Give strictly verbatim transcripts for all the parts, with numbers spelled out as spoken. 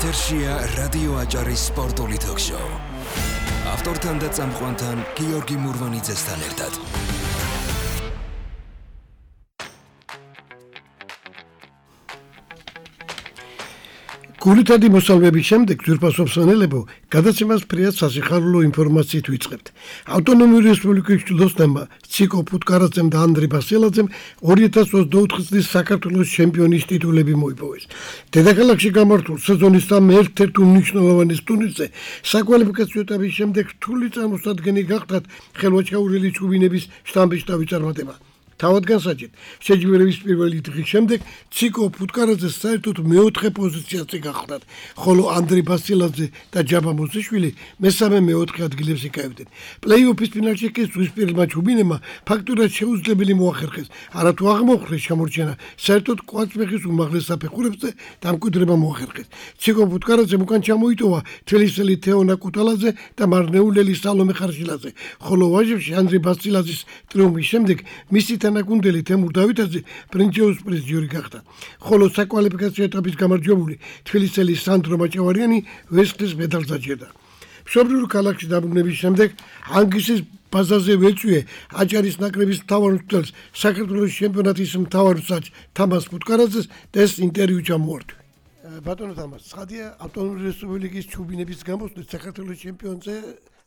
ეთერშია რადიო აჭარის სპორტული თოქ-შოუ. ავტორთან და წამყვანთან გიორგი მურვანიძესთან ერთად. გულითადი მოსალვების შემდეგ ძვირფასობ სანელებო გადაცემას ფრიად სასიხარულო ინფორმაციით ვიწყებთ. ავტონომიური რესპუბლიკის ჯილდოსნებმა ციკო ფუტკარაძემ და ანდრე ბასილაძემ ორი ათას ოცდაოთხი წლის საქართველოს ჩემპიონის ტიტულები მოიპოვეს. დედაქალაქში გამართულ სეზონის ერთ-ერთ უმნიშვნელოვანეს ტურნირზე საკვალიფიკაციო ეტაპის შემდეგ რთული წარმოსადგენელი გახდათ ხელვაჩაურელი ჩუბინების შტამბეშტავი წარმატება. თავად განსაჯეთ, შეჯიბრების პირველი დღის შემდეგ ციკო ფუტკარაძეს საერთოდ მეოთხე პოზიციაზე გახლდათ, ხოლო ანდრე ბასილაძე და ჯაბა მოსიშვილი მესამე მეოთხე ადგილებს იკავებდნენ. პლეი-ოფის ფინალში კი ზღვისპირელმა ჩუბინებმა ფაქტურად შეუძლებელი მოახერხეს, არათუ აღმოხვრეს შემორჩენა, საერთოდ კვარცხლბეხის უმაღლეს საფეხურებზე დამკვიდრება მოახერხეს. ციკო ფუტკარაძემ უკან ჩამოიტოვა თელისელი თეონა კუტალაძე და მარნეულელი სალომე ხარშილაძე, ხოლო ვაჟებში ანდრე ბასილაძის ტრიუმფის შემდეგ მისი თანაგუნდელი თემურ დავითაძე პრინცეუს პრიზიორი გახდა, ხოლო საკვალიფიკაციო ეტაპის გამარჯვებული თბილისელი სანდრო მაჭავარიანი ვერცხლის მედალს დაჯერდა. მშობლიურ ქალაქში დაბრუნების შემდეგ ანგისის ბაზაზე ვეწვიე აჭარის ნაკრების მთავარ მცველს, საქართველოს ჩემპიონატის მთავარ მსაჯ თამას ფუტკარაძეს და ეს ინტერვიუ ჩამოვართვი. ბატონო თამას, ცხადია ავტონომიური რესპუბლიკის ჩუბინების გამოსვლით საქართველოს ჩემპიონზე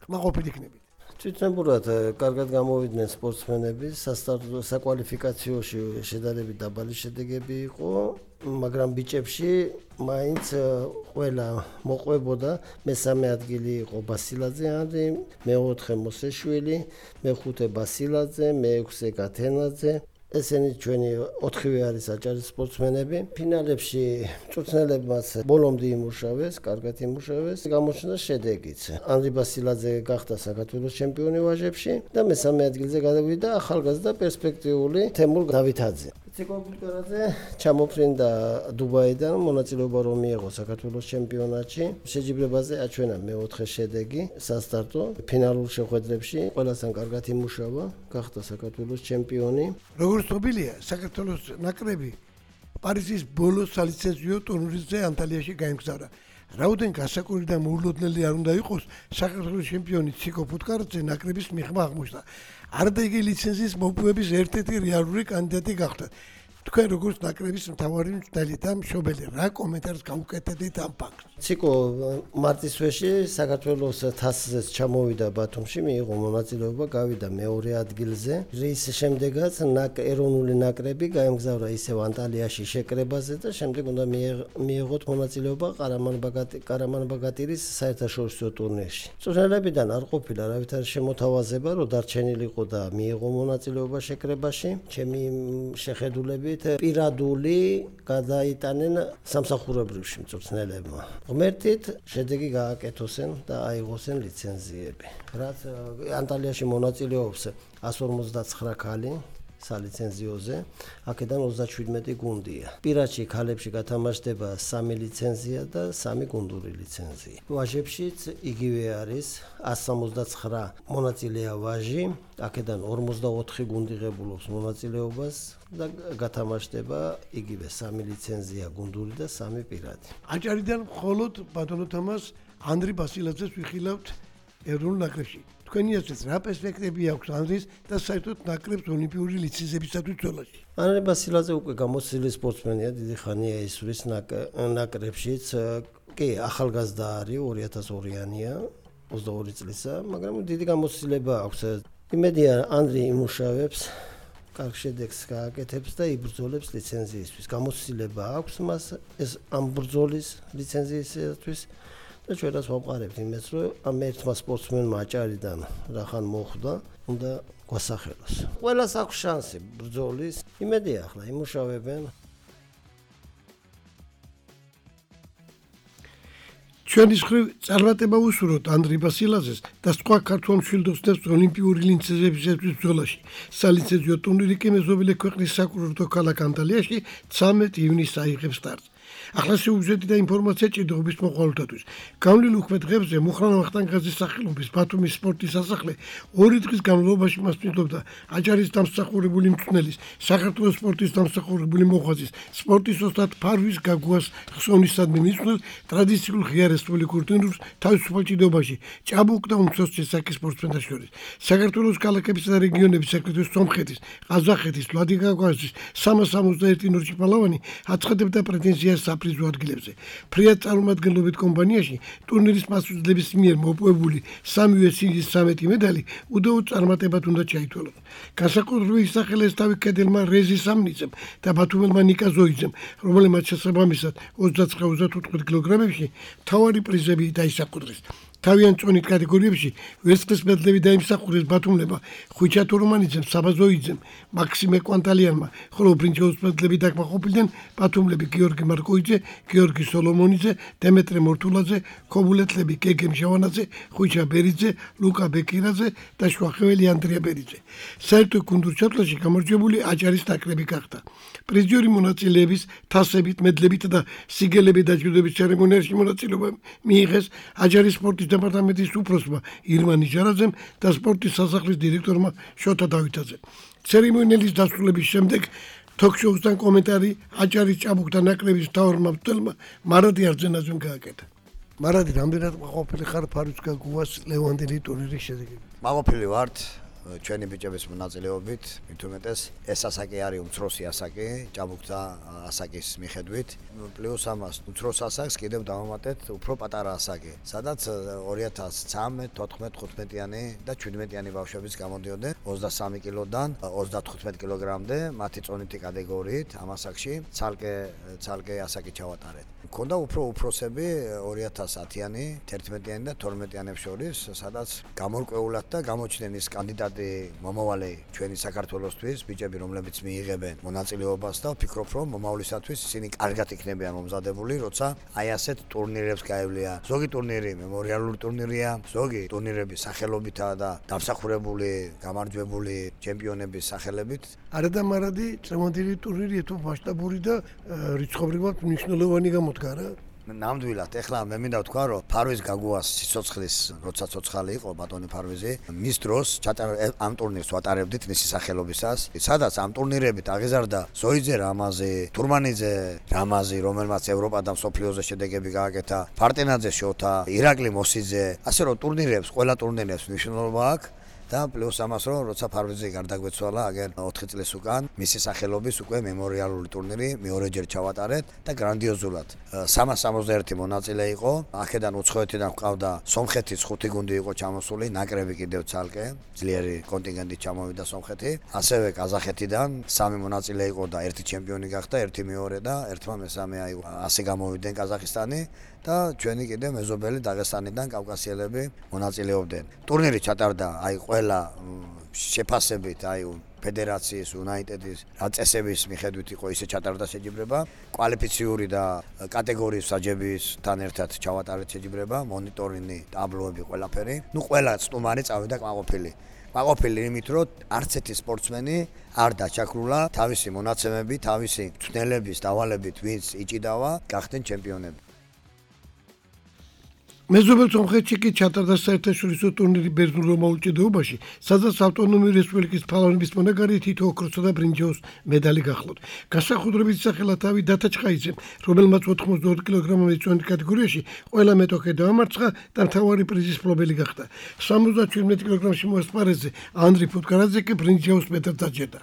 ხმაყოფილი იქნებით. Თვითნებურად კარგად გამოვიდნენ სპორტსმენები, სასტარტო საკვალიფიკაციოში შედარებით დაბალი შედეგები იყო, მაგრამ ბიჭებში მაინც ყველა მოყვებოდა. მესამე ადგილი იყო ბასილაძე ანდრე, მეოთხე მოსეშვილი, მეხუთე ბასილაძე, მეექვსე გათენაძე. ესენი ჩვენი ოთხივე არის აჭარის სპორტსმენები. ფინალებში მწვრთნელებმაც ბოლომდე იმუშავეს, კარგად იმუშავეს. გამოჩნდა შედეგიც. ანდრე ბასილაძე გახდა საქართველოს ჩემპიონი ვაჟებში და მესამე ადგილზე გადავიდა ახალგაზრდა პერსპექტიული თემურ დავითაძე. ციკო ფუტკარაძე ჩამოფრინდა დუბაიდან, მონაწილეობა რომ მიიღო საქართველოს ჩემპიონატში. შეჯიბრებაზე აჩვენა მეოთხე შედეგი სასტარტო ფინალურ შეხვედრებში. ყველასთან კარგად იმუშავა, გახდა საქართველოს ჩემპიონი. როგორც ცნობილია, საქართველოს ნაკრები პარიზის ბოლო სალიცენზიო ტურნირზე ანტალიაში გაემგზავრა. რაოდენ გასაკური და მოულოდნელი არ უნდა იყოს, საქართველოს ჩემპიონი ციკო ფუტკარაძე ნაკრების მიღმა აღმოჩნდა. არადა იგი ლიცენზიის მოპოვების ერთ-ერთი რეალური კანდიდატი გახდა. თქვენ როგორც ნაკრების მთავარი მწვრთნელი და მშობელი, რა კომენტარს გაუკეთებთ ამ ფაქტს? ციკო მარტისვეში საქართველოს თასზეც ჩამოვიდა ბათუმში, მიიღო მონაწილეობა, გავიდა მეორე ადგილზე. რის შემდეგაც ეროვნული ნაკრები გაემგზავრა ისევ ანტალიაში შეკრებაზე და შემდეგ უნდა მიიღოთ მონაწილეობა ყარამან-ბაგატირის საერთაშორისო ტურნირში. მწვრთნელებიდან არ ყოფილა არავითარი შემოთავაზება, რომ დარჩენილიყო და მიიღო მონაწილეობა შეკრებაში. ჩემი შეხედულებით პირადული გადაიტანენ სამსახურებრივში მწვრთნელებმა. ღმერთით შედეგი გააკეთოსენ და აიღოსენ ლიცენზიები. რაც ანტალიაში მონაწილეობს εκατს ორმოცდაცხრა ქალი სალიცენზიოზე, აქედან ოცდაშვიდმეტი გუნდია. პირადში ქალებში გათამაშდება სამი ლიცენზია და სამი გუნდური ლიცენზია. ვაჟებშიც იგივე არის εκατს სამოცდაცხრა მონაწილეა ვაჟი, აქედან ორმოცდაოთხი გუნდი ღებულობს მონაწილეობას და გათამაშდება იგივე სამი ლიცენზია გუნდური და სამი პირადი. აჭარიდან მხოლოდ ბატონო თამას ანდრე ბასილაძეს ვიხილავთ ეროვნულ ნაკრებში. თქვენი აზრით რა პერსპექტივები აქვს ანდრის და საერთოდ ნაკრებს ოლიმპიური ლიცენზიებისათვის ბრძოლაში? ანდრე ბასილაძე უკვე გამოცდილი სპორტსმენია, დიდი ხანია ისვრის ნაკრებშიც. კი, ახალგაზრდა არის, ორი ათას ორიანია, ოცდაორი წლისა, მაგრამ დიდი გამოცდილება აქვს. იმედია ანდრე იმუშავებს, კარგ შედეგს გააკეთებს და იბრძოლებს ლიცენზიისთვის. გამოცდილება აქვს მას ეს ამ ბრძოლის ლიცენზიისათვის. და ჩვენაც ვამყარებთ იმას, რომ ამ ერთმა სპორტსმენმა აჭარიდან რახან მოხვდა, უნდა გვასახელოს. ყველას აქვს შანსი ბრძოლის. იმედია ახლა იმუშავებენ. ჩვენის ხრივ წარმატება უსურვოთ ანდრე ბასილაძეს და სხვა ქართველ მშვილდოსნებს ოლიმპიური ლიცენზიებისათვის ბრძოლაში. სალიცენზიო ტურნირი კი მეზობელი ქვეყნის საკურორტო ქალაქ ანტალიაში ცამეტ ივნისს აიღებს სტარტს. ახლა შეუძლიათ და ინფორმაცია ჭიდრობის მოყოლთათვის. გავლილ უქმე დღებზე მუხრანა ვახტანგაძის სახელობის ბათუმის სპორტის სასახლე ორი დღის განმავლობაში მასპინძლობდა აჭარის დამსახურებული მწვრთნელის, საქართველოს სპორტის დამსახურებული მოღვაწის, სპორტის ოსტატ ფარვის გაგუას ხსოვნისადმი მისვლელ ტრადიციულ ღია რესპუბლიკურ ტურნირს თავისუფალ ჭიდრობაში ჭაბუკ და უმცროს ცესაკის სპორტსმენთა შორის. საქართველოს ქალაქებისა და რეგიონების საკრიტოს სომხეთის, ყაზახეთის, ვლადიგაგაზის სამას სამოცდაერთი ნორჩი პალავანი აცხადებდა პრეტენზიას საპრიზო ადგილებზე. ფრიად წარმომადგენლობით კომპანიაში ტურნირის მასპინძლების მიერ მოპოვებული სამივე სიგის სამეტი медали უდაოდ წარმატებად უნდა ჩაითვალოს. განსაკუთრებით ისახელეს თავი კედელმა რეზი სამნიცემ და ბათუმელმა ნიკა ზოიძემ, რომელმაც შესაბამისად ოცდაცხრა ოცდაოთხ კილოგრამებში მთავარი პრიზები დაისაკუთრეს. თავიანთ წონით კატეგორიებში ვერცხლის მედლები დაიმსახურეს ბათუმლებმა ხვიჩა თურმანიძემ, საბა ზოიძემ, მაქსიმე კვანტალიანმა, ხოლო ბრინჯაოს მედლები დაკმაყოფილდნენ ბათუმლები გიორგი მარკოიძე, გიორგი სოლომონიძე, დემეტრე მორთულაძე, ქობულეთლები გეგემ ჟავანაძე, ხვიჩა ბერიძე, ლუკა ბეკირაძე და შვახეველი ანდრია ბერიძე. საერთო გუნდურ ჩათვლაში გამარჯვებული აჭარის ნაკრები გახდა. პრიზიორი მონაწილეების თასებით, მედლებით და სიგელებით დაჯილდოების ცერემონიაში მონაწილეობა მიიღეს აჭარის სპორტის დეპარტამენტის უფროსმა ირმა ნიჟარაძემ და სპორტის სასახლის დირექტორმა შოთა დავითაძემ. ცერემონიალის დასრულების შემდეგ თოქ-შოუსთან კომენტარი აჭარის ჭაბუკთა ნაკრების მთავარმა მცველმა მარადი არძენაძემ გააკეთა. მარადი, რამდენად მაყოფილი ხარ ფარვის გაგუას ლევანდელი ტურნირის შედეგებით? მაყოფილი ვართ ჩვენი ბიჭების მონაწილეობით, მით უმეტეს ეს ასაკი არის უმცროსი ასაკი, ჭაბუკთა ასაკის მიხედვით. პლუს ამას უმცროს ასაკს კიდევ დავამატეთ უფრო პატარა ასაკი, სადაც ორი ათას ცხრამეტ, თოთხმეტ, ხუთმეტიანი და შვიდმეტიანი ბავშვებიც გამოდიოდნენ ოცდასამი კილოდან ოცდათხუთმეტ კილოგრამდე, მათი წონითი კატეგორიით ამ ასაკში ცალკე ცალკე ასაკი ჩავატარეთ. მქონდა უფრო უფროსები ორი ათას ათიანი, თერთმეტიანი და თორმეტიანებს შორის, სადაც გამორკვეულად და გამოჩნდნენ ის კანდიდატი მომავალი ჩვენი საქართველოსთვის, ბიჭები, რომლებიც მიიღებენ მონაწილეობას და ვფიქრობ, რომ მომავლისათვის ისინი კარგად იქნებიან მომზადებული, როცა აი ასეთ ტურნირებს გაევლიან. ზოგი ტურნირი მემორიალური ტურნირია, ზოგი ტურნირები სახელობითაა და დამსახურებული, გამარჯვებული ჩემპიონების სახელებით. არა და მარადი წრემონდილი ტურნირი თუ მასშტაბური და რიცხობრივად მნიშვნელოვანი გამოდგა რა. ნამდვილად, ეხლა მე მინდა ვთქვა, რომ ფარვის გაგუას სიცოცხლის, როცა ცოცხალი იყო ბატონი ფარვიზი, მის დროს ამ ტურნირს ვატარებდით მისი სახელობისას, სადაც ამ ტურნირებით აღიზარდა ზოიძე რამაზი, თურმანიძე რამაზი, რომელმაც ევროპა და მსოფლიოზე შედეგები გააკეთა, ფარტენაძე შოთა, ირაკლი მოსიძე, ასე რომ ტურნირებს, ყველა ტურნირებს მნიშვნელობა აქვს. და პლუს ამას რომ როცა ფარვიზი გარდაგვეცვალა აგერ ოთხი წლის უკან მისი სახელობის უკვე მემორიალური ტურნირი მეორეჯერ ჩავატარეთ და გრანდიოზულად სამას სამოცდაერთი მონაწილე იყო. აქედან უცხოეთიდან ჰყავდა სომხეთის ხუთი გუნდი იყო ჩამოსული, ნაკრები კიდევ ცალკე, ძლიერი კონტინგენტით ჩამოვიდა სომხეთი. ასევე ყაზახეთიდან სამი მონაწილე იყო და ერთი ჩემპიონი გახდა, ერთი მეორე და ერთმა მესამე აი ასე გამოვიდნენ ყაზახისტანი და ჩვენი კიდე მეზობელი დაღესტანიდან კავკასიელები მონაწილეობდნენ. ტურნირი ჩატარდა აი ყველა შეფასებით, აი ფედერაციის, უნაიტედის წესების მიხედვით იყო ისე ჩატარდა შეჯიბრება, კვალიფიციური და კატეგორიის საჯებისთან ერთად ჩავატარეთ შეჯიბრება, მონიტორინგი, ტაბლოები, ყველაფერი. ნუ ყველა სტუმარი წავიდა კმაყოფილი. კმაყოფილი იმით, რომ არც ერთი სპორტსმენი არ დაჩაქრულა თავისი მონაცემები, თავისი მწვრთნელების დავალებით, ვინც იჭიდავა, გახდნენ ჩემპიონები. მეზობელ სომხეთში კი ჩატარდა საერთაშორისო ტურნირი ბერძნულ მოულჭიდეობაში, სადაც ავტონომიური რესპუბლიკის ფალავანების მონაგარი თითო ოქროსა და ბრინჯაოს медали გახლავთ. განსაკუთრებით სახელად თავი დათა ჩხაიძემ, რომელმაც ოთხმოცდაოთხ კილოგრამოვანი წონის კატეგორიაში ყველა მეტოქე დაამარცხა და მთავარი პრიზის მფლობელი გახდა. სამოცდაშვიდმეტ კილოგრამში მოასპარეზე ანდრი ფუტკარაძე კი ბრინჯაოს მედალს დაჯერდა.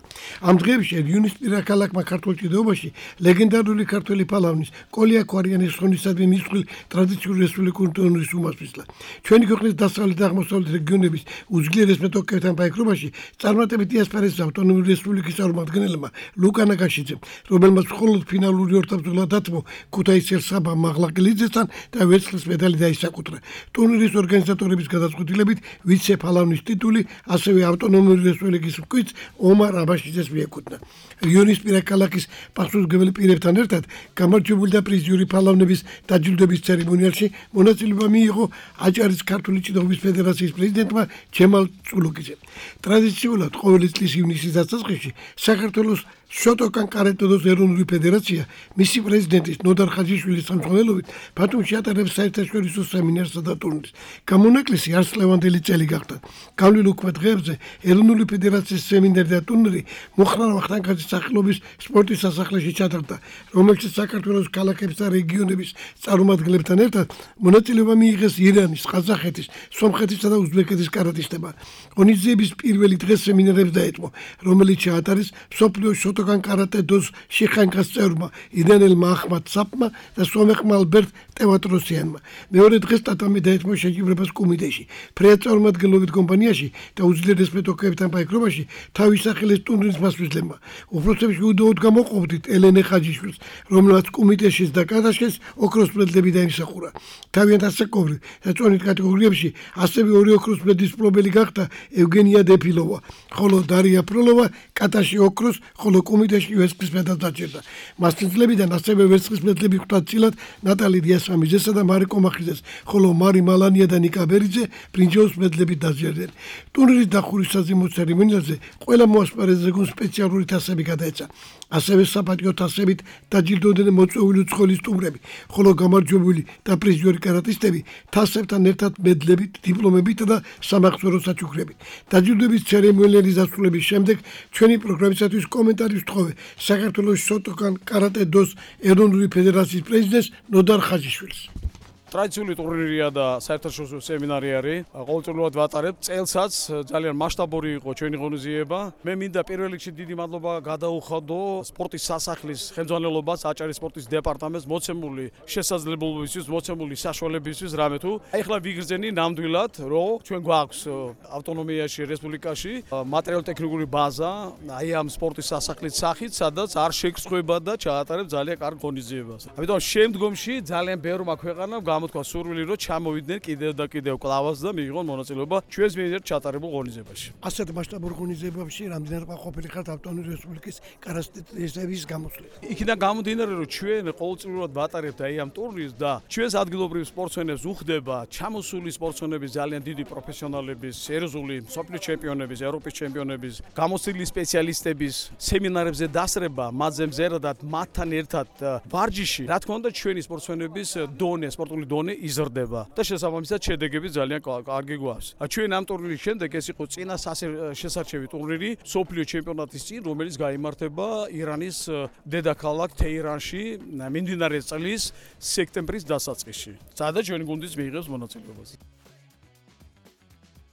ამ დღეებში იუნის პირაქალაქმა ქართულ ჭიდაობაში ლეგენდარული ქართველი ფალავნის კოლია ქვარიანის ხონისადმი მისვლელ ტრადიციული რესპუბლიკური უმასპინძლა. ჩვენი ქვეყნის დასავლეთ და აღმოსავლეთ რეგიონების უძლიერეს მეტოქეებთან ბაიქრობაში წარმატებით იასპარეზეს ავტონომიური რესპუბლიკის წარმომადგენელმა ლუკა ნაგაშიძემ, რომელმაც მხოლოდ ფინალური ორთაბრძოლა დათმო ქუთაისელ საბა მაღლაკელიძესთან და ვერცხლის медали დაისაკუთრა. ტურნირის ორგანიზატორების გადაწყვეტილებით ვიცე ფალავნის ტიტული ასევე ავტონომიური რესპუბლიკის მკვიდრ ომარ აბაშიძეს მიეკუთვნა. რიონის პირაქალაქის პასუხისმგებელი პირებთან ერთად გამარჯვებული და პრიზიორი ფალავნების დაჯილდოების ცერემონიალში მონაწილეობა მიიღო აჭარის ქართული ჭიდაობის ფედერაციის პრეზიდენტმა ჯემალ წულუკიძემ. ტრადიციულად ყოველი წლის ივნისის დასაწყისში საქართველოს შოტოკან კარატე-დოს ეროვნული ფედერაცია მისი პრეზიდენტის ნოდარ ხაჯიშვილის ხელმძღვანელობით ბათუმში ატარებს საერთაშორისო სემინარსა და ტურნირს. გამონაკლისი არცლევანდელი წელი გახდა. გავლილ უქმე დღეებზე ეროვნული ფედერაციის სემინარი და ტურნირი მუხრან ვახტანგაძის სახელობის სპორტის სასახლეში ჩატარდა, რომელშიც საქართველოს ქალაქების და რეგიონების წარმომადგენლებთან ერთად მონაწილეობა მიიღეს ირანის, ყაზახეთის, სომხეთისა და უზბეკეთის კარატისტებმა. ღონისძიების პირველი დღე სემინარებს დაეთმო, რომელიც ჩაატარეს მსოფლიოს შოტოკან კარატე-დოს შიხანკას წევრმა იდანელმა ახმად საფმა და სომეხმა ალბერტ ტევატროსიანმა. მეორე დღეს ტატამი დაეთმო შეჯიბრებას კუმიტეში, ფრეა წარმომადგენლობით კომპანიაში და უძლიერეს მეტოქეებთან პაიკრობაში თავის სახელის ტურნირის მასპინძლებმა. უფროსებში უდაოდ გამოყოფდით ელენე ხაჯიშვილს, რომელმაც კუმიტეშიც და კატაშეს ოქროს მედლები დაიმსახურა. თავიანთ ასაკობრივ და წონით კატეგორიებში ასევე ორი ოქროს მედლის მფლობელი გახდა ევგენია დეფილოვა, ხოლო დარია ფროლოვა კატაში ოქროს, ხოლო კუმიტეში ვერცხლის მედალს დაჭერდა. მასპინძლებიდან ასევე ვერცხლის მედლები ხვდა წილად ნატალი დიასამიძესა და მარიკო მახიძეს, ხოლო მარი მალანია და ნიკა ბერიძე ბრინჯაოს მედლებით დაჯერდნენ. ტურნირის დახურვის საზეიმო ცერემონიალზე ყველა მოასპარეზე გუნდს სპეციალური თასები გადაეცა. ასევე საპატიო თასებით დაჯილდოვდნენ მოწვეული უცხოელი სტუმრები, ხოლო გამარჯვებული და პრიზიორი კარატისტები თასებთან ერთად მედლებით, დიპლომებით და სამახსოვრო საჩუქრებით. დაჯილდოების ცერემონიალის დასრულების შემდეგ ჩვენი პროგრამისათვის კომენტარი ვთხოვე საქართველოს შოტოკან კარატე-დოს ეროვნული ფედერაციის პრეზიდენტს ნოდარ ხაჯიშვილს. ტრადიციული ტურნირია და საერთაშორისო სემინარი არის. ყოველწლიურად ვატარებ. წელსაც ძალიან მასშტაბური იყო ჩვენი ღონისძიება. მე მინდა პირველ რიგში დიდი მადლობა გადაუხადო სპორტის სასახლის ხელმძღვანელობას, აჭარის სპორტის დეპარტამენტს მოცემული შესაძლებლობებისთვის, მოცემული საშუალებებისთვის, რამე თუ ეხლა ვიგრძენი ნამდვილად, რომ ჩვენ გვაქვს ავტონომიაში, რესპუბლიკაში მატერიალურ-ტექნიკური ბაზა, აი ამ სპორტის სასახლის სახით, სადაც არ შეგსხვება და ჩაატარებს ძალიან კარგ ღონისძიებას. ამიტომ შემდგომში ძალიან ბევრმა ქვეყანამ თქვა სურვილი რომ ჩამოვიდნენ კიდევ და კიდევ კლავას და მიიღონ მონაწილეობა ჩვენს მიერ ჩატარებულ ღონისძიებაში. ასეთ მასშტაბურ ღონისძიებებში რამდენად ყოფილი ხართ ავტონომიური რესპუბლიკის კარატეისტების გამოსვლით? იქიდან გამომდინარე რომ ჩვენ ყოველწლიურად ვატარებთ აი ამ ტურნირს და ჩვენს ადგილობრივ სპორტსმენებს უხდება ჩამოსული სპორტსმენების ძალიან დიდი პროფესიონალების, სერიოზული მსოფლიო ჩემპიონების, ევროპის ჩემპიონების, გამოცდილი სპეციალისტების სემინარებზე დასრება, მათზე მზერადად მათთან ერთად ვარჯიში, რა თქმა უნდა ჩვენი სპორტსმენების დონე, სპორტული დონე იზრდება და შესაბამისად შედეგები ძალიან კარგი გვაქვს. ჩვენ ამ ტურნირის შემდეგ ეს იყო წინა შესარჩევი ტურნირი სოფლიო ჩემპიონატის წინ, რომელიც გაიმართება ირანის დედაქალაქ თეირანში მიმდინარე წლის სექტემბრის დასაწყისში. სადაც ჩვენი გუნდის მიიღებს მონაწილეობას.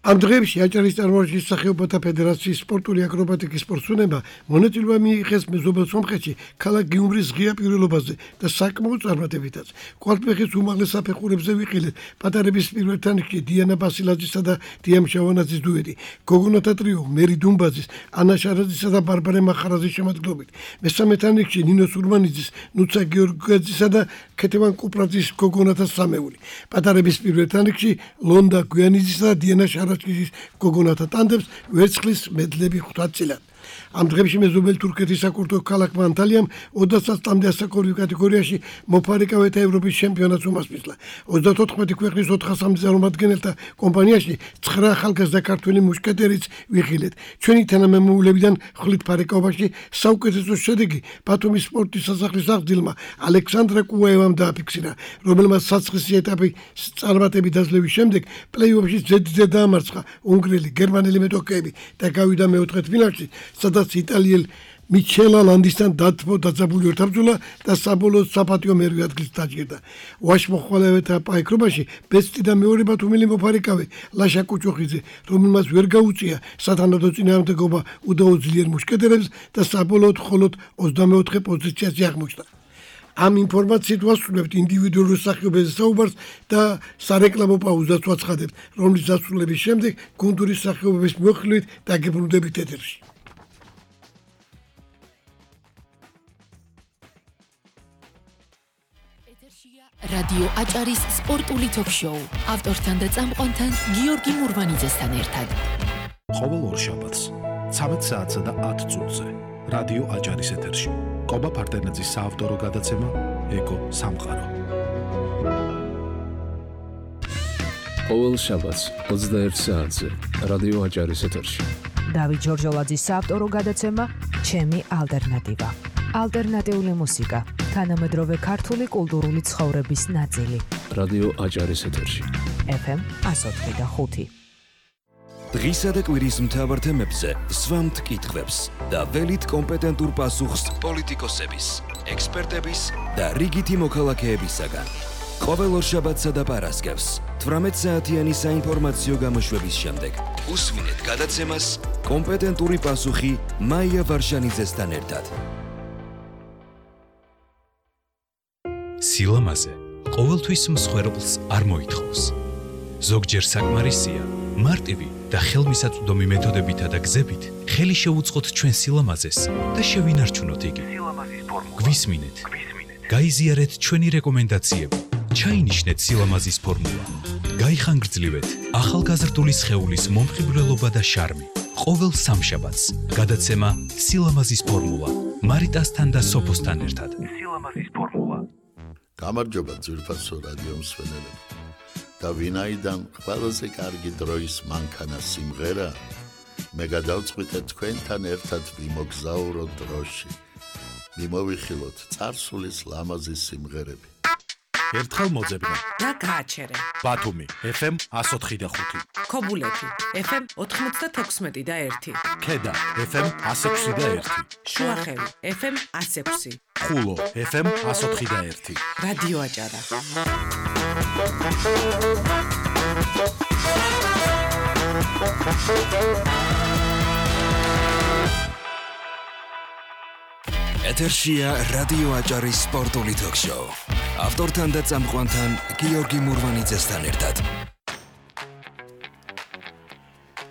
ამ დღეებში აჭარის წარმოშობის სახეობათა ფედერაციის სპორტული აკრობატიკის სპორტსმენებმა მონაწილეობა მიიღეს მეზობელ სომხეთში ქალაქ გიუმრის ღია პირობაზე და საკმაოდ წარმატებითაც. კვალიფიკაციის უმაღლეს საფეხურებზე ვიყილეთ პატარების პირველ თანხში დიანა ბასილაძისა და დიამ შავანაძის დუეტი, გოგონათა ტრიო მერი დუმბაძის, ანა შარაძისა და ბარბარე მახარაძის შემადგენლობით. მესამე თანხში ნინო სურმანიძის, ნუცა გიორგაძისა და ქეთევან კუპრაძის გოგონათა სამეული. პატარების პირველ თანხში ლონდა გვიანიძისა და დიანა ჭის გოგონათა ტანდემს ვერცხლის მედლები ხვდა წილად. ამ დღეებში მეზობელ თურქეთის საკურთხო ქალაქმა ანტალიამ ოცდაათს წამდე ასაკობრივ კატეგორიაში მოფარიკავეთა ევროპის ჩემპიონატს უმასპინძლა. ოცდაოთხმეტი ქვეყნის ოთხასამდე წარმომადგენელთა კომპანიაში ცხრა ახალგაზრდა ქართველი მუშკეტერიც ვიხილეთ. ჩვენი თანამემამულებიდან ხლით ფარიკაობაში საუკეთესო შედეგი ბათუმის სპორტის სასახლის აღზრდილმა ალექსანდრა კუაევამ დააფიქსირა, რომელმაც საცხისი ეტაპი წარმატებით დაძლევის შემდეგ პლეი-ოფში ზედზე დაამარცხა უნგრელი, გერმანელი მეტოქეები და გავიდა მეოთხე ფინალში, სადაც იტალიელ მიჩელა ლანდისთან დათმო დაძაბული ორთაბრძოლა და საბოლოოდ საპატიო მერვე ადგილს დაჯერდა. ვაშმოხვალევეთა პაიკრობაში ბესტი და მეორე ბათუმელი მოფარიკავე ლაშა კუჭოხიძე, რომელმაც ვერ გაუწია სათანადო წინააღმდეგობა უდაოდ ძლიერ მუშკეტერებს და საბოლოოდ მხოლოდ ოცდამეოთხე პოზიციაზე აღმოჩნდა. ამ ინფორმაციით ვასრულებთ ინდივიდუალურ სახეობებზე საუბარს და სარეკლამო პაუზას ვაცხადებთ, რომლის დასრულების შემდეგ გუნდური სახეობების მოხილვით დაგებრუნდებით ეთერში. რადიო აჭარის სპორტული ток-შოუ ავტორთან და წამყვანთან გიორგი მურვანიძესთან ერთად. ყოველ ორშაბათს ცამეტ საათსა და ათ წუთზე რადიო აჭარის ეთერში კობა ფარტენაძის საავტორო გადაცემა ეკო სამყარო. ყოველ შაბათს ოცდაერთ საათზე რადიო აჭარის ეთერში დავით ჯორჯოლაძის საავტორო გადაცემა ჩემი ალტერნატივა. ალტერნატიული მუსიკა, თანამედროვე ქართული კულტურული ცხოვრების ნაწილი. რადიო აჭარის ეთერში. ეფ ემ εκατო ოთხი და ხუთი. დღისა და კვირის მთავარ თემებზე სვამთ კითხვებს და ველით კომპეტენტურ პასუხს პოლიტიკოსების, ექსპერტების და რიგითი მოქალაქეებისაგან. ყოველ ორშაბათსა და პარასკევს თვრამეტ საათიანი საინფორმაციო გამოშვების შემდეგ უსვინეთ გადაცემას კომპეტენტური პასუხი მაია ვარშანიძესთან ერთად. სილამაზე ყოველთვის მსხვერპლს არ მოითხოვს. ზოგჯერ საკმარისია მარტივი და ხელმისაწვდომი მეთოდებითა და გზებით ხელი შეუწყოთ ჩვენ სილამაზეს და შევინარჩუნოთ იგი. გვისმინეთ, გაიზიარეთ ჩვენი რეკომენდაციები, ჩაინიშნეთ სილამაზის ფორმულა, გაიხანგრძლივეთ ახალგაზრდული სხეულის მომხიბვლელობა და შარმი. ყოველ სამშაბათს გადაცემა სილამაზის ფორმულა მარიტასთან და სოფოსთან ერთად. სილამაზის ფორმულა. გამარჯობა ძვირფასო რადიო მსმენელები. და ვინაიდან ყველაზე კარგი დროის მანქანა სიმღერა, მე გადავწყვიტე თქვენთან ერთად ვიმოგზაუროთ დროში. მიმოვიხილოთ წარსულის ლამაზი სიმღერები. ერთხელ მოძებნა. და გააჩერე. ბათუმი, ეფ ემ εκατო ოთხი და ხუთი. ქობულეთი, ეფ ემ ოთხმოცდათექვსმეტი და ერთი. ქედა, ეფ ემ εκατო ექვსი და ერთი. შუახევი, ეფ ემ εκατო ექვსი. ხულო, ეფ ემ εκατო ოთხი და ერთი. რადიო აჭარა. ეთერშია რადიო აჭარის სპორტული თოქ-შოუ. ავტორთან და წამყვანთან გიორგი მურვანიძესთან ერთად.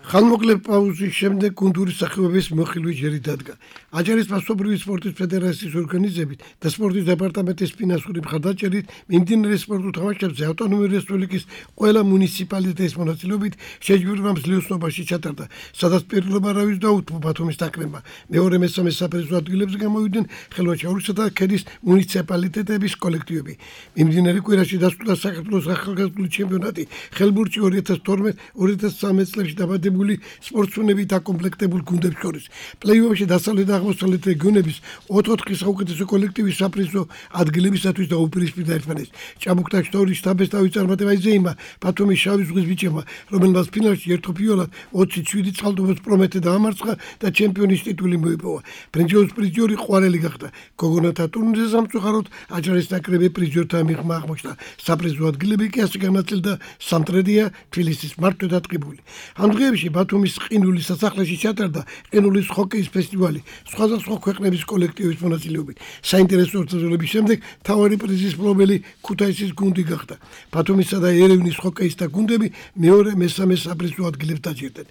ხანმოკლე პაუზის შემდეგ გუნდური სახეობების მოხილვი ჯერი დადგა. აჭარის მასობრივი სპორტის ფედერაციის ორგანიზებით და სპორტის დეპარტამენტის ფინანსური მხარდაჭერით მიმდინარე სპორტულ თამაშებზე ავტონომიური რესპუბლიკის ყველა მუნიციპალიტეტის მონაწილეობით შეჯიბრება მსვლელობაში ჩატარდა, სადაც პირველობა რავის დაუთმო ბათუმის ნაკრებმა. მეორე მესამე საპრიზო ადგილებზე გამოვიდნენ ხელვაჩაურისა და ქედის მუნიციპალიტეტების კოლექტივები. მიმდინარე კვირაში დასრულდა საქართველოს ახალგაზრდული ჩემპიონატი ხელბურთში ორი ათას თორმეტ ორი ათას ცხრამეტ წლებში დაბადებული სპორტსმენები დაკომპლექტებულ გუნდებს შორის. პლეი-ოფში დასავლეთ და აღმოსავლეთ რეგიონების ოთხ-ოთხი საუკეთესო კოლექტივის საპრიზო ადგილებისათვის დაუპირისპირდა ერთმანეთს. ჭაბუკთა შტორის შტაბის თავის წარმატება იზეიმა ბათუმის შავი ზღვის ბიჭებმა, რომელმაც ფინალში ერთოფიოლად ოცი შვიდი წყალტუბოს პრომეთე დაამარცხა და ჩემპიონის ტიტული მოიპოვა. ბრინჯაოს პრიზიორი ყვარელი გახდა. გოგონათა ტურნირზე სამწუხაროდ აჭარის ნაკრები პრიზიორთა მიღმა აღმოჩნდა. საპრიზო ადგილები კი ასე განაწილდა სამტრედია, თბილისის მართვე დატყიბული. ამ დღეებში ბათუმის ყინულის სასახლეში ჩატარდა ყინულის ჰოკეის ფესტივალი სხვადასხვა ქვეყნების კოლექტივების მონაწილეობით. საინტერესო ორთაბრძოლების შემდეგ მთავარი პრიზის მფლობელი ქუთაისის გუნდი გახდა. ბათუმისა და ერევნის ჰოკეისტთა გუნდები მეორე მესამე საპრიზო ადგილებს დაჯერდნენ.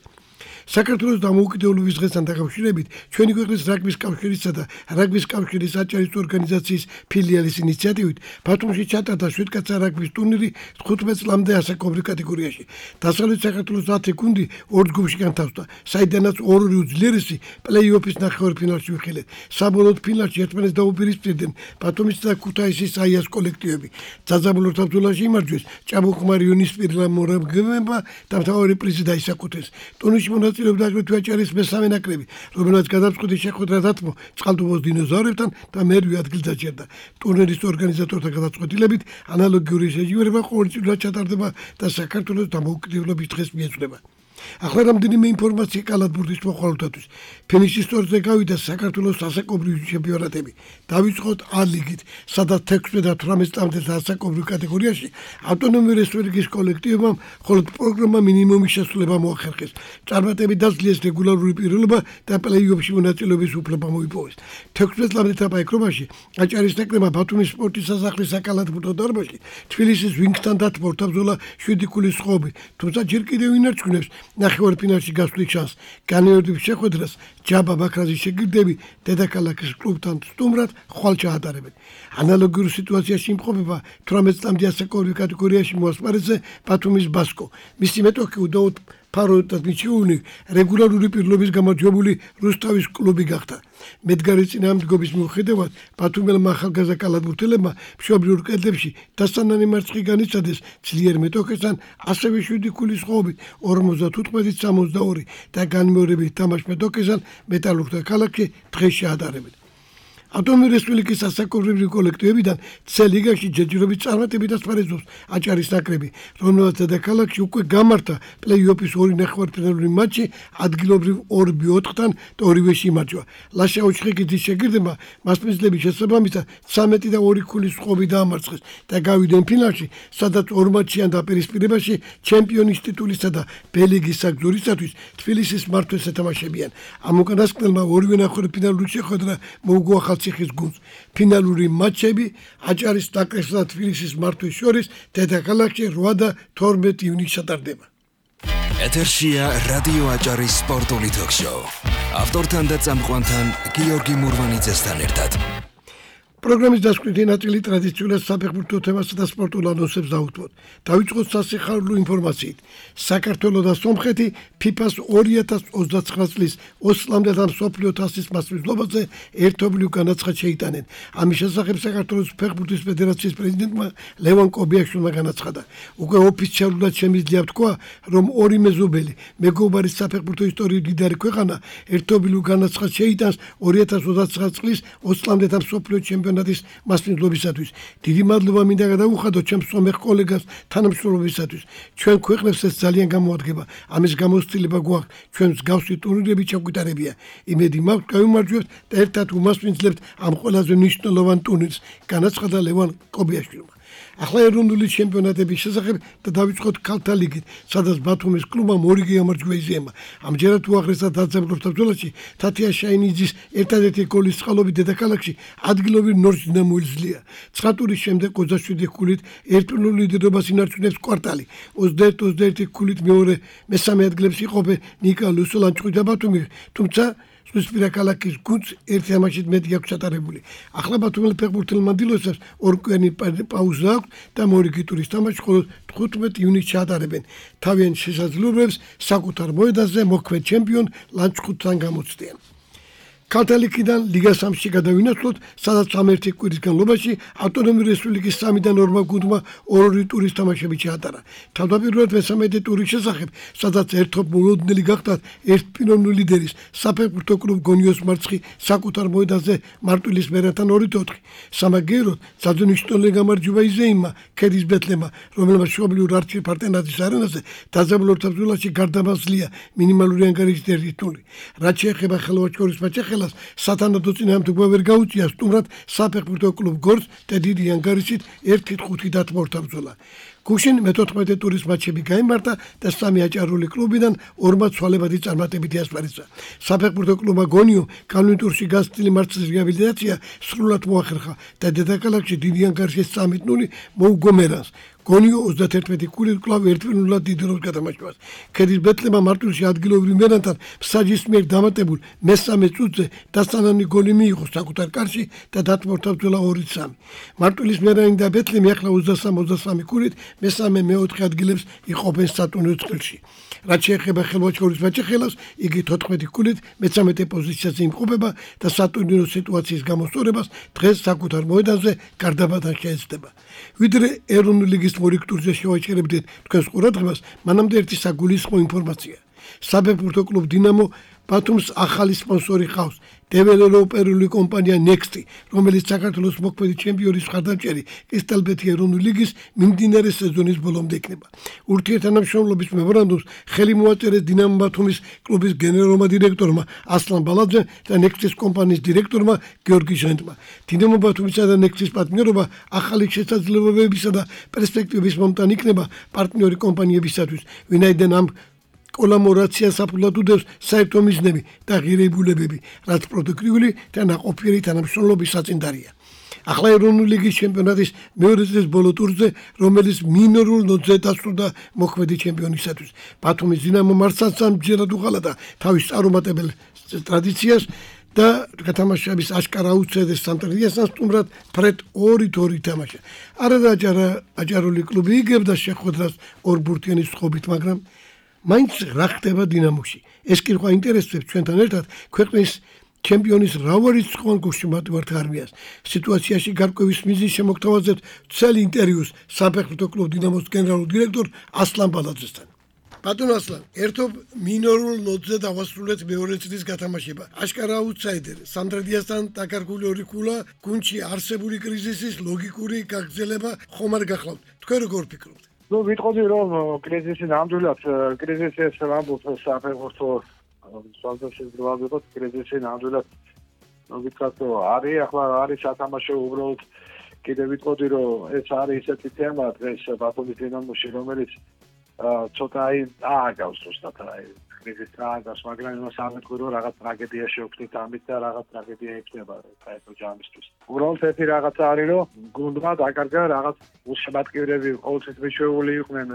საქართველოს დამოუკიდებლობის დღესთან დაკავშირებით ჩვენი ქვეყნის რაგბის კავშირისა და რაგბის კავშირის აჭარის ორგანიზაციის ფილიალის ინიციატივით ბათუმში ჩატარდა შვიდკაცა რაგბის ტურნირი თხუთმეტ წლამდე ასაკობრივ კატეგორიაში. დასავლეთ საქართველოს ათი გუნდი ორ ჯგუფში განთავსდა, საიდანაც ორი უძლიერესი პლეი-ოფის ნახევარფინალში ვიხილეთ. საბოლოოდ ფინალში ერთმანეთს დაუპირისპირდნენ ბათუმის და ქუთაისის აიას კოლექტივები. დაძაბულ ორთაბრძოლაში იმარჯვეს ჭაბუკმა რიონის პირლა მორაგებმა და მთავარი პრიზი დაისაკუთეს. ტურნირში მონაწილეობდა აგრეთვე აჭარის მესამე ნაკრები, რომელმაც გადაწყვეტი შეხვედრა დათმო წყალტუბოს დინოზავრებთან და მერვე ადგილს დაჭერდა. ტურნირის ორგანიზატორთა გადაწყვეტილებით ანალოგიური შეჯიბრება ყოველწლიურად ჩატარდება და საქართველოს დამოუკიდებლობის დღეს მიეწვდება. ახლა რამდენიმე ინფორმაცია კალათბურთის მოხალისეებისთვის. ფინიშის სტორზე გავიდა საქართველოს ასაკობრივი ჩემპიონატები. დავიწყოთ ა ლიგით, სადაც ექვსმეტ და თვრამეტ წლამდე ასაკობრივ კატეგორიაში ავტონომიური რესპუბლიკის კოლექტივებმა მხოლოდ პროგრამა მინიმუმის შესრულება მოახერხეს. წარმატებით დასრულეს რეგულარული პიროვნება და პლეი-ოფში მონაწილეობის უფლება მოიპოვეს. ექვსმეტ წლამდე თამაშობაში აჭარის ნაკრებმა ბათუმის სპორტის სასახლის საკალათბურთო დარბაზში თბილისის ვინგსთან დათმო ორთაბრძოლა შვიდი ქულის ხობი, თუმცა ჯერ კიდევ ინარჩუნებს ნახევარფინალში გასვლის შანსს. განმეორების შეხვედრას ჯაბა ბაქრაძის შეგირდები დედაქალაქის კლუბთან სტუმრად ხვალ ჩაატარებენ. ანალოგიურ სიტუაციაში იმყოფება თვრამეტ წლამდე ასაკობრივ კატეგორიაში მოასპარეზე ბათუმის ბასკო. მისი მეტოქი უდაოდ ფაროდად მიჩეული რეგულარული პირლობის გამარჯვებული რუსთავის კლუბი გახდა. მედგარი წინააღმდეგობის მიუხედავად ბათუმელმა ახალგაზრდა კალათბურთელებმა მშობლიურ კედლებში დასანანი მარცხი განიცადეს ძლიერ მეტოქესთან, ასევე შვიდი ქულის ხოვებით ორმოცდათხუთმეტი სამოცდაორი და განმეორებით თამაშ მეტოქესთან მეტალურგთა ქალაქში დღეს შეადარებენ. ავტონომიური რესპუბლიკის ასაკობრივი კოლექტივებიდან ცელ ლიგაში ჯერჯერობით წარმატებით ასპარეზობს აჭარის ნაკრები, რომელსაც დედაქალაქში უკვე გამართა პლეი-ოფის ორი ნახევარფინალური მატჩი ადგილობრივ ორ ოთხთან და ორივეში იმარჯვა. ლაშა ოჩხეკიძის შეგირდებმა მასპინძლების შესაბამისად ცამეტი და ორი ქულის ხოვი დაამარცხეს და გავიდნენ ფინალში, სადაც ორ მატჩიან დაპირისპირებაში ჩემპიონის ტიტულისა და ბ-ლიგის საგზურისათვის თბილისის მართვეს ეთამაშებიან. ამ უკანასკნელმა ორივე ნახევარფინალური შეხვედრა მოუგო ციხის გუნდს. ფინალური მატჩები აჭარის ნაკრებსა და თბილისის მართვეს შორის დედაქალაქში რვა და თორმეტი ივნისს ჩატარდება. ეთერშია რადიო აჭარის სპორტული ток-შოუ. ავტორთან და წამყვანთან გიორგი მურვანიძესთან ერთად. პროგრამის დასკვნითი ნაწილი ტრადიციულად საფეხბურთო თემასა და სპორტულ ანონსებს დაუძღვოთ. დავიწყოთ სასიხარულო ინფორმაციით. საქართველო და სომხეთი ფიფას ორი ათას ოცდაცხრა წლის ოსლამდე და მსოფლიო თასის მასპინძლობაზე ერთობლივ განაცხადს შეიტანენ. ამის შესახებ საქართველოს ფეხბურთის ფედერაციის პრეზიდენტმა ლევან კობიაშვილმა განაცხადა. უკვე ოფიციალურად შემიძლია თქვა, რომ ორი მეზობელი მეგობარი საფეხბურთო ისტორიის მდიდარი ქვეყანა ერთობლივ განაცხადს შეიტანს ორი ათას ოცდაცხრა წლის ოსლამდე და მსოფლიო ჩემპიონატის მასპინძლობისათვის. დიდი მადლობა მინდა გადავუხადოთ ჩემს სომეხ კოლეგას თანამშრომლობისათვის. ჩვენ ქვეყნებს ეს ძალიან გამოადგება. ამის გამოცდილება გვაქვს. ჩვენ მსგავსი ტურნირები ჩაგვიტარებია. იმედი მაქვს, გავიმარჯვებთ და ერთად უმასპინძლებთ ამ ყველაზე მნიშვნელოვან ტურნირს, განაცხადა ლევან კობიაშვილმა. ახლა ეროვნული ჩემპიონატების შესახებ და დავიწყოთ ქალთა ლიგით, სადაც ბათუმის კლუბამ ორი გამარჯვება იზიამა. ამჯერად უაღრესად დაძაბულობდა ბრძოლაში თათია შაინიძის ერთადერთი გოლის წყალობით დედაქალაქში ადგილობრივ ნორჩ დინამოს ძლია. ცხრა ტურის შემდეგ ოცდაშვიდი ქულით ერთნულ ლიდერობას ინარჩუნებს კვარტალი. ოცდაერთი ოცდაერთი ქულით მეორე მესამე ადგილებში იყოფენ ნიკა ლუსოლანჩხი და ბათუმი, თუმცა ზღვისპირა ქალაქის გუნდს ერთი თამაშით მეტი აქვს ჩატარებული. ახლა ბათუმელ ფეხბურთელმა დილოსებს ორკვიანი პაუზა აქვს და მორიგი ტურის თამაში მხოლოდ თხუთმეტი ივნისს ჩაატარებენ. თავიანთ შესაძლებლობებს საკუთარ მოედანზე მოქმედ ჩემპიონ ლანჩხუთთან გამოცდიან. ქალთა ლიგიდან ლიგა სამში გადავინაცვლოთ, სადაც სამერთი კვირის განმავლობაში ავტონომიური რესპუბლიკის სამიდან ორმა გუნდმა ორი ტურის თამაშები ჩაატარა. თავდაპირველად მესამედი ტურის შესახებ, სადაც ერთობ მოულოდნელი გახდათ ერთპიროვნული ლიდერის საფეხბურთო კლუბ გონიოს მარცხი საკუთარ მოედანზე მარტვილის მერანთან ორი ოთხი. სამაგიეროდ საძონიშნული გამარჯვება იზეიმმა ქედის ბეთლემმა, რომელმაც მშობლიურ არჩილ პარტენაძის არენაზე დაძაბულობდა ბრძოლაში გარდამასვლია მინიმალური ანგარიშით ერთი ნული. რაც შეეხება ხელვაჩკორის მაჩხი სათანადო წინააღმდეგობა ვერ გაუწია სტუმრად საფეხბურთო კლუბ გორს და დიდი ანგარიშით ერთი ხუთი დათმორთა ბრძოლა. გუშინ მეთოთხმეტე ტურის მატჩები გაიმართა და სამი აჭარული კლუბიდან ორმა ცვალებადი წარმატებითი ასპარეზა. საფეხბურთო კლუბმა გონიო კანონურ ტურში გასწრილი მარცხის რეაბილიტაცია სრულად მოახერხა და დედაქალაქში დიდი ანგარიშის სამი ნული მოუგო მერანს. გონიო ოცდაერთი ქულით კლავ ერთპიროვნულად დიდროს გადამაჭრავს. ქედის ბეთლემმა მარტვილში ადგილობრივ მერანთან ფსაჯის მიერ დამატებულ მესამე წუთზე დასანანი გოლი მიიღო საკუთარ კარში და დათმორთა ბრძოლა ორი სამი. მარტვილის მერანი და ბეთლემი ახლა ოცდასამი ოცდასამი ქულით მესამე მეოთხე ადგილებს იყოფენ სატურნირო წყვილში. რაც შეეხება ხელვაჩკორის მაჩხელას, იგი თოთხმეტი ქულით მეცამეტე პოზიციაზე იმყოფება და სატურნირო სიტუაციის გამოსწორებას დღეს საკუთარ მოედანზე გარდაბადან შეეცდება. ვიდრე ეროვნული ლიგის მორიგ ტურზე შევაჭერებდით თქვენს ყურადღებას, მანამდე ერთი საგულისხმო ინფორმაცია. საფეხბურთო კლუბ დინამო ბათუმს ახალი სპონსორი ჰყავს. დეველოპერული კომპანია ნექსტი, რომელიც საქართველოს მოქმედი ჩემპიონის მხარდამჭერი კრისტალბეთი ეროვნული ლიგის მიმდინარე სეზონის ბოლომდე იქნება. ურთიერთთანამშრომლობის მემორანდუმს ხელი მოაწერეს დინამო ბათუმის კლუბის გენერალურმა დირექტორმა ასლან ბალაძემ და ნექსტის კომპანიის დირექტორმა გიორგი ჟენტმა. დინამო ბათუმისა და ნექსტის პარტნიორობა ახალი შესაძლებლობებისა და პერსპექტივების მომტანი იქნება პარტნიორი კომპანიებისათვის, ვინაიდან ამ კოლაბორაცია საფუძვლად უდევს საერთო მიზნები და ღირებულებები, რაც პროდუქტიული და ნაყოფიერი თანამშრომლობის საწინდარია. ახლა ეროვნული ლიგის ჩემპიონატის მეორე წლის ბოლო ტურზე, რომელიც მინორულ ნოთზე დასრულდა მოქმედი ჩემპიონისათვის. ბათუმის დინამო მარცხს ამჯერად უღალატა თავის წარუმატებელ ტრადიციას და გათამაშების აშკარა უცედეს სამტრედიასთან სტუმრად ფრედ ორი ორი თამაშა. არადა აჭარული კლუბი იგებდა შეხვედრას ორ ბურთიანის წყობით, მაგრამ მაინც რა ხდება დინამოში? ეს კი სხვა ინტერესებს ჩვენთან ერთად ქვეყნის ჩემპიონის მრავალრიცხოვან გულში მატვართ არმიას. სიტუაციაში გარკვევის მიზნის შემოგთავაზებთ ცელი ინტერვიუს საფეხბურთო კლუბ დინამოს გენერალურ დირექტორ ასლან ბალაძესთან. ბატონ ასლან, ერთობ მინორულ ნოტზე დავასრულეთ მეორე წრის გათამაშება. აშკარა აუტსაიდერი, სამდრედიასთან დაკარგული ორი ქულა, გუნდში არსებული კრიზისის ლოგიკური გაგრძელება ხომ არ გახლავთ? თქვენ როგორ ფიქრობთ? ნუ ვიტყოდი რომ კრიზისი ნამდვილად კრიზისი ეს რამბობ საფეხბურთო სალდაშის გროვებოთ კრიზისი ნამდვილად ვიტყოდ არის ახლა არის სათამაშო უბრალოდ კიდე ვიტყოდი რომ ეს არის ისეთი თემა დღეს ბათუმის დინამოში რომელიც ცოტა აი ააგავს ზუსტად აი კრიზისი ააგავს მაგრამ იმას არ მეთქვი რომ რაღაც ტრაგედია შევხვდით ამით და რაღაც ტრაგედია იქნება საერთო ჯამისთვის უბრალოდ ერთი რაღაცა არის რომ გუნდმა დაკარგა რაღაც უშემატკივრები ყოველთვის მიშვეული იყვნენ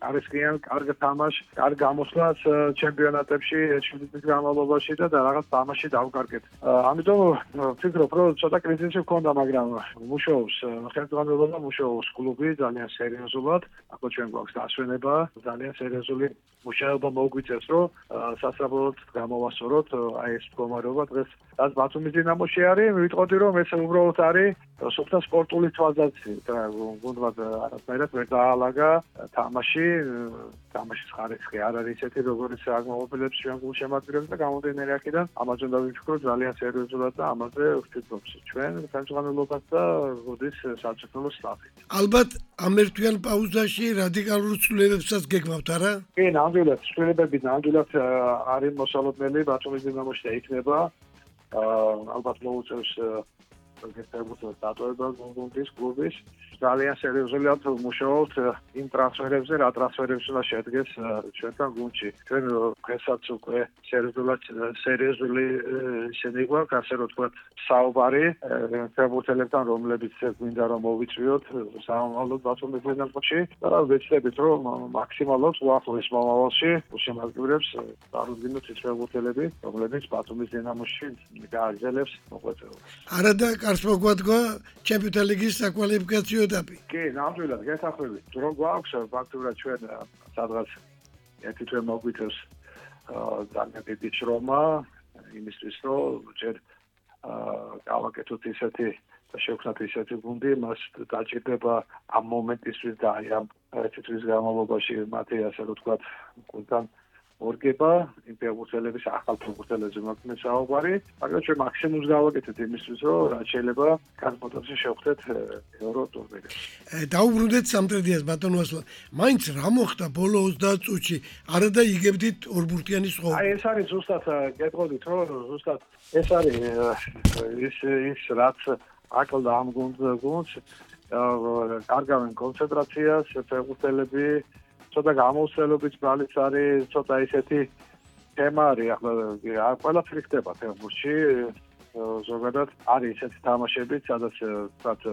არის კიან კარგ თამაშ, კარგ გამოსვლას ჩემპიონატებში შვიდი წლის განმავლობაში და რაღაც თამაში დავკარგეთ. ამიტომ ვფიქრობ, რომ ცოტა კრიზისი ჰქონდა, მაგრამ მუშაობს ხელმძღვანელობა, მუშაობს კლუბი ძალიან სერიოზულად. ახლა ჩვენ გვაქვს დასვენება, ძალიან სერიოზული მუშაობა მოგვიწევს, რომ სასწრაფოდ გამოვასწოროთ აი ეს მდგომარეობა დღეს. რაც ბათუმის დინამოში არის, ვიტყოდი, რომ ეს უბრალოდ არის სუფთა სპორტული თვალსაზრისით. გუნდმა არასდროს ვერ დაალაგა თამაში თამაშის ხარისხი არ არის ისეთი როგორც აღმოჩენილებს ჩვენ გულშემატკივრებს და გამოდენილი აქედან ამაზე დავიფიქროთ ძალიან სერიოზულად და ამაზე ვფიქრობთ ჩვენ ხელმძღვანელობას და გუნდის საერთაშორისო სტაფი. ალბათ ამ ერთვიან პაუზაში რადიკალურ ცვლილებებსაც გეგმავთ, არა? კი, ნამდვილად, ცვლილებები ნამდვილად არის მოსალოდნელი ბათუმის დინამოში და იქნება ალბათ მოუწევს გესწრებულითა დატოვება გუნდის კლუბის ძალიან სერიოზულად მუშაობთ იმ ტრანსფერებზე, რა ტრანსფერებს უნდა შედგეს ჩვენთან გუნდში. ჩვენ დღესაც უკვე სერიოზულად სერიოზული ისინი გვაქვს, ასე რომ თქვა, საუბარი ფეხბურთელებთან, რომლებიც გვინდა რომ მოვიწვიოთ სამომავლოდ ბათუმის დინამოში და ვეცდებით რომ მაქსიმალურად უახლოეს მომავალში უშემატკივრებს წარუდგინოთ ის ფეხბურთელები, რომლებიც ბათუმის დინამოში გააგრძელებს მოღვაწეობას. არადა კარს მოგვადგა ჩემპიონთა ლიგის საკვალიფიკაციო ეტაპი. კი, ნამდვილად გასახვევი. დრო გვაქვს ფაქტურად ჩვენ სადღაც ერთი თვე მოგვიწევს ძალიან დიდი შრომა იმისთვის რომ ჯერ გავაკეთოთ ისეთი და შევქმნათ ისეთი გუნდი, მას დაჭირდება ამ მომენტისთვის და აი ამ ერთი თვის განმავლობაში მათი ასე რომ ვთქვათ გუნდთან ორგება იმ ფეხბურთელების ახალ ფეხბურთელებზე მოქმედ საუბარი, მაგრამ ჩვენ მაქსიმუმს გავაკეთეთ იმისთვის, რომ რაც შეიძლება განმოწესო შევხვდეთ ევრო ტურნირებში. დაუბრუნდეთ სამტრედიას ბატონო ასლან. მაინც რა მოხდა ბოლო ოცდაათ წუთში? არადა იგებდით ორბურთიანი სხოვა. აი ეს არის ზუსტად გეტყოდით, რომ ზუსტად ეს არის ის ის რაც აკლდა ამ გუნდს, კარგავენ კონცენტრაციას ფეხბურთელები ცოტა გამოსვლობით ბალიც არის, ცოტა ისეთი თემა არის, ახლა ყველაფერი ხდება ფეხბურთში, ზოგადად არის ისეთი თამაშები, სადაც ვთქვათ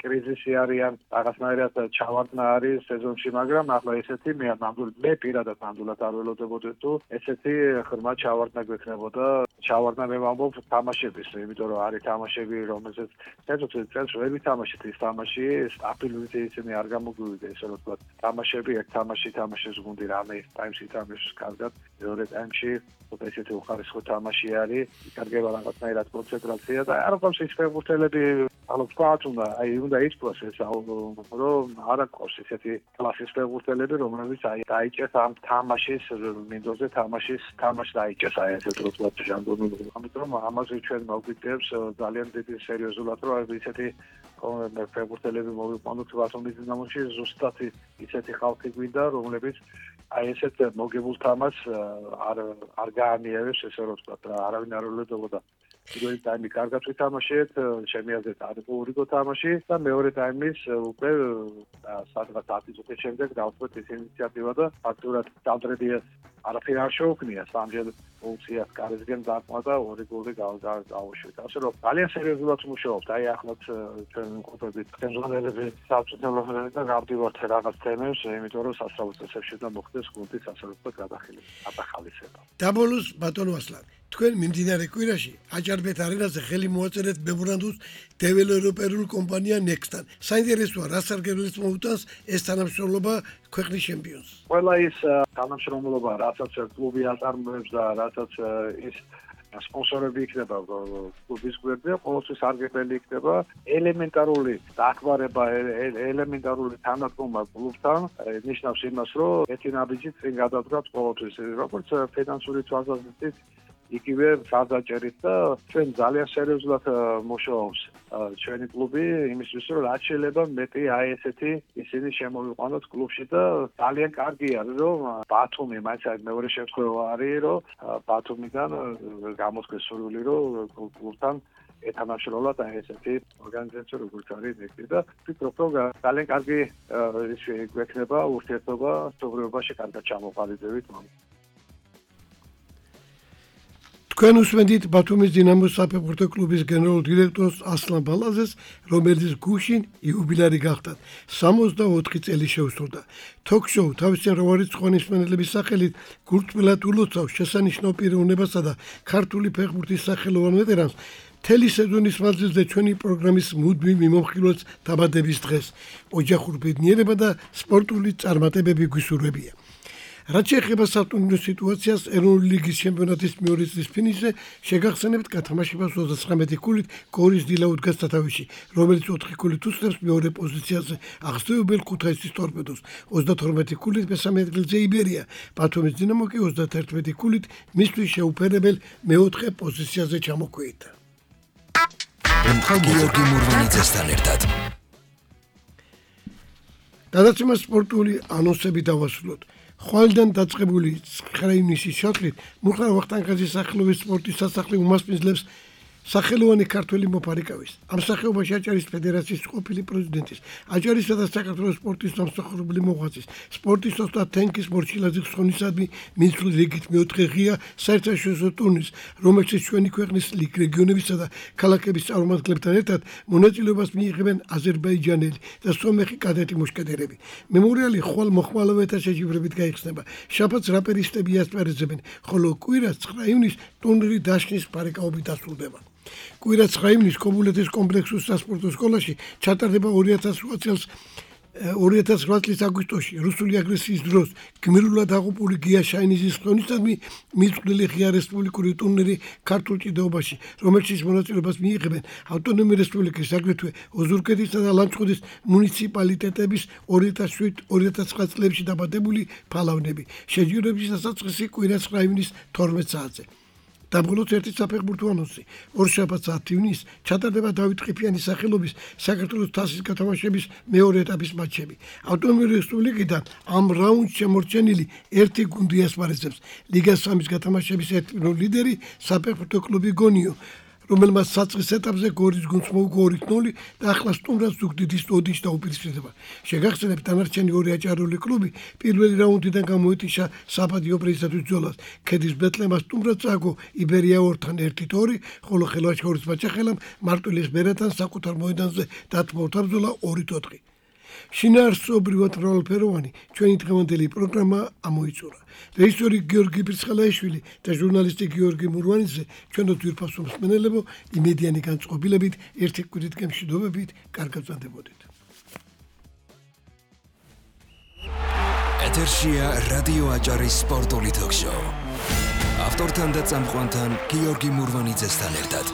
კრიზისი არიან, რაღაცნაირად ჩავარდნა არის სეზონში, მაგრამ ახლა ესეთი მე ნამდვილად მე პირადად ნამდვილად არ ველოდებოდი თუ ესეთი ხმა ჩავარდნა გვექნებოდა. ჩავარდნა მე ვამბობ თამაშების, იმიტომ რომ არის თამაშები, რომელზეც ცეცხლ წელს ვერ ვითამაშეთ ის თამაში, სტაბილურით ისინი არ გამოგვივიდა, ესე რომ ვთქვათ, თამაშები ერთ თამაში თამაშებს გუნდი რამე ტაიმში თამაშს კარგად, მეორე ტაიმში უკვე ესეთი უხარისხო თამაში არის, იკარგება რაღაცნაირად კონცენტრაცია და არ ყავს ის ფეხბურთელები, ანუ ვთქვათ, უნდა აი უნდა ითქვას ეს რომ არ ყავს ესეთი კლასის ფეხბურთელები, რომლებიც აი დაიჭერს ამ თამაშის მინდორზე თამაშის თამაში დაიჭერს აი ესე რომ ვთქვათ ამიტომ ამაზე ჩვენ მოგვიწევს ძალიან დიდი სერიოზულად რომ აი ისეთი ფეხბურთელები მოვიყვანოთ ბათუმის დინამოში ზუსტად ისეთი ხალხი გვინდა რომლებიც აი ესეთ მოგებულ თამაშს არ არ გაანიევებს ესე რომ ვთქვათ რა არავინ არ ველოდებოდა პირველი ტაიმი კარგად ვითამაშეთ ჩემი აზრით არის ორი თამაში და მეორე ტაიმის უკვე სადღაც ათი წუთის შემდეგ დავწყეთ ეს ინიციატივა და ფაქტურად დავდრედიეს არაფერი არ შეუქმნია სამჯერ ფუნქციას კარისგან დაკმა და ორი გოლი გავუშვით. ასე რომ ძალიან სერიოზულად მუშაობთ. აი ახლაც ჩვენ ვიმყოფებით ხელმძღვანელები საბჭოთა და გავდივართ რაღაც თემებს, იმიტომ რომ სასწავლო წესებში და მოხდეს გუნდის სასწავლო გადახალისება. დაბოლოს ბატონო ასლან, თქვენ მიმდინარე კვირაში აჭარბეთ არენაზე ხელი მოაწერეთ მემორანდუმს დეველოპერულ კომპანია Next-თან. საინტერესოა, რა სარგებლობს მოუტანს ეს თანამშრომლობა ქვეყნის ჩემპიონს. ყველა ის თანამშრომლობა, რასაც კლუბი აწარმოებს და რასაც ის სპონსორები იქნება კლუბის გვერდზე, ყოველთვის სარგებელი იქნება ელემენტარული დახმარება, ელემენტარული თანადგომა კლუბთან, ნიშნავს იმას, რომ ერთი ნაბიჯით წინ გადადგათ ყოველთვის, როგორც ფინანსური თვალსაზრისით იგივე საზაჭერით და ჩვენ ძალიან სერიოზულად მუშაობს ჩვენი კლუბი იმისთვის რომ რაც შეიძლება მეტი აი ესეთი ისინი შემოვიყვანოთ კლუბში და ძალიან კარგი არის რომ ბათუმი მაინც მეორე შემთხვევა არის რომ ბათუმიდან გამოდგეს სურვილი რომ კლუბთან ეთანაშრომლად აი ესეთი ორგანიზაცია როგორც არის ნექსტი და ვფიქრობ რომ ძალიან კარგი ის გვექნება ურთიერთობა სობრიობაში კარგად ჩამოყალიბდებით მომ თქვენ უსმენთ ბათუმის დინამოს საფეხბურთო კლუბის გენერალურ დირექტორს ასლან ბალაზეს, რომელიც გუშინ იუბილარი გახდა. სამოცდაოთხი წელი შეუსრულდა. Talk-show თავისი როვარიცხვანი მსმენელების სახელით გულწრფელად ულოცავს შესანიშნავ პიროვნებასა და ქართული ფეხბურთის სახელოვან ვეტერანს. მთელი სეზონის მანძილზე ჩვენი პროგრამის მუდმივ მიმოხილვას დაბადების დღეს. ოჯახურ ბედნიერება და სპორტული წარმატებები გვისურვებია. რაც შეეხება სატურნირო სიტუაციას ეროვნული ლიგის ჩემპიონატის მეორე წრის ფინიშზე შეგახსენებთ გათამაშებას ოცდათხრამეტი ქულით გორის დილა უდგას სათავეში, რომელიც ოთხი ქულით უსწრებს მეორე პოზიციაზე აღსდევებელ ქუთაისის ტორპედოს, ოცდათორმეტი ქულით მესამე ადგილზე იბერია, ბათუმის დინამო კი ოცდათერთმეტი ქულით მისთვის შეუფერებელ მეოთხე პოზიციაზე ჩამოქვეითდა. გიორგი მურვანიძესთან ერთად დადაცემა სპორტული ანონსები დავასრულოთ. ხვალიდან დაწყებული ცხრა ივნისის შოთლით მუხარ ვახტანგაძის სახელობის სპორტის სასახლე უმასპინძლებს სახელოვანი ქართველი მოფარიკავის. ამ სახეობაში აჭარის ფედერაციის ყოფილი პრეზიდენტის, აჭარისა და საქართველოს სპორტის დამსახურებული მოღვაწის, სპორტის ოსტატ თენგის მორჩილაძის ცხონისადმი მისული რიგით მეოთხე ღია საერთაშორისო ტურნირის, რომელშიც ჩვენი ქვეყნის რეგიონებისა და ქალაქების წარმომადგენლებთან ერთად მონაწილეობას მიიღებენ აზერბაიჯანელი და სომეხი კადეტი მუშკეტერები. მემორიალი ხვალ მოხმალოვეთა შეჯიბრებით გაიხსნება. შაბათს რაპერისტები ასპარეზებენ, ხოლო კვირას ცხრა ივნისს ტურნირი დაშნის ფარიკაობით დასრულდება. კვირა ცხრა ივნისს კობულეთის კომპლექსურ სასპორტო სკოლაში ჩატარდება ორი ათას ოთხ წლის აგვისტოში რუსული აგრესიის დროს გმირულად აღუპული გია შაინიზის ხონისადმი მიწვრილი ღია რესპუბლიკური ტურნირი ქართულ ჭიდაობაში, რომელშიც მონაწილეობას მიიღებენ ავტონომიური რესპუბლიკის აგრეთვე ოზურგეთისა და ლანჩხუთის მუნიციპალიტეტების ორი ათას შვიდ ორი ათას ცხრა წლებში დაბადებული ფალავნები. შეჯიბრების დასაწყისი კვირა ცხრა ივნისს თორმეტ საათზე. დაბოლოს ერთი საფეხბურთო ანონსი. ორშაბათს ათი ივნისს ჩატარდება დავით ყიფიანის სახელობის საქართველოს თასის გათამაშების მეორე ეტაპის მატჩები. ავტონომიური რესპუბლიკიდან ამ რაუნდში შემორჩენილი ერთი გუნდი ასპარეზებს. ლიგა სამის გათამაშების ერთი ლიდერი საფეხბურთო კლუბი გონიო, რომელმაც საწყის ეტაპზე გორის გუნდს მოუგო ორი ნული და ახლა სტუმრად ზუგდიდის ოდიშს დაუპირისპირდება. შეგახსენებთ, დანარჩენი ორი აჭარული კლუბი პირველი რაუნდიდან გამოეთიშა საბადიო პრიზისათვის ბრძოლას. ქედის ბეთლემა სტუმრად წააგო იბერია ორთან ერთი ორი, ხოლო ხელვაჩხორის მაჩახელამ მარტვილის ბერათან საკუთარ მოედანზე დათმოვდა ბრძოლა ორი ოთხი. შინაარსობრივად მრავალფეროვანი ჩვენი დღევანდელი პროგრამა ამოიწურა. რეჟისორი გიორგი ბრიცხალაიშვილი და ჟურნალისტი გიორგი მურვანიძე ჩვენო ძვირფასო მსმენელებო იმედიანი განწყობილებით ერთი კვირით გემშვიდობებით კარგად ვზრდებოდით. ეთერშია რადიო აჭარის სპორტული თოქ-შოუ. ავტორთან და წამყვანთან გიორგი მურვანიძესთან ერთად.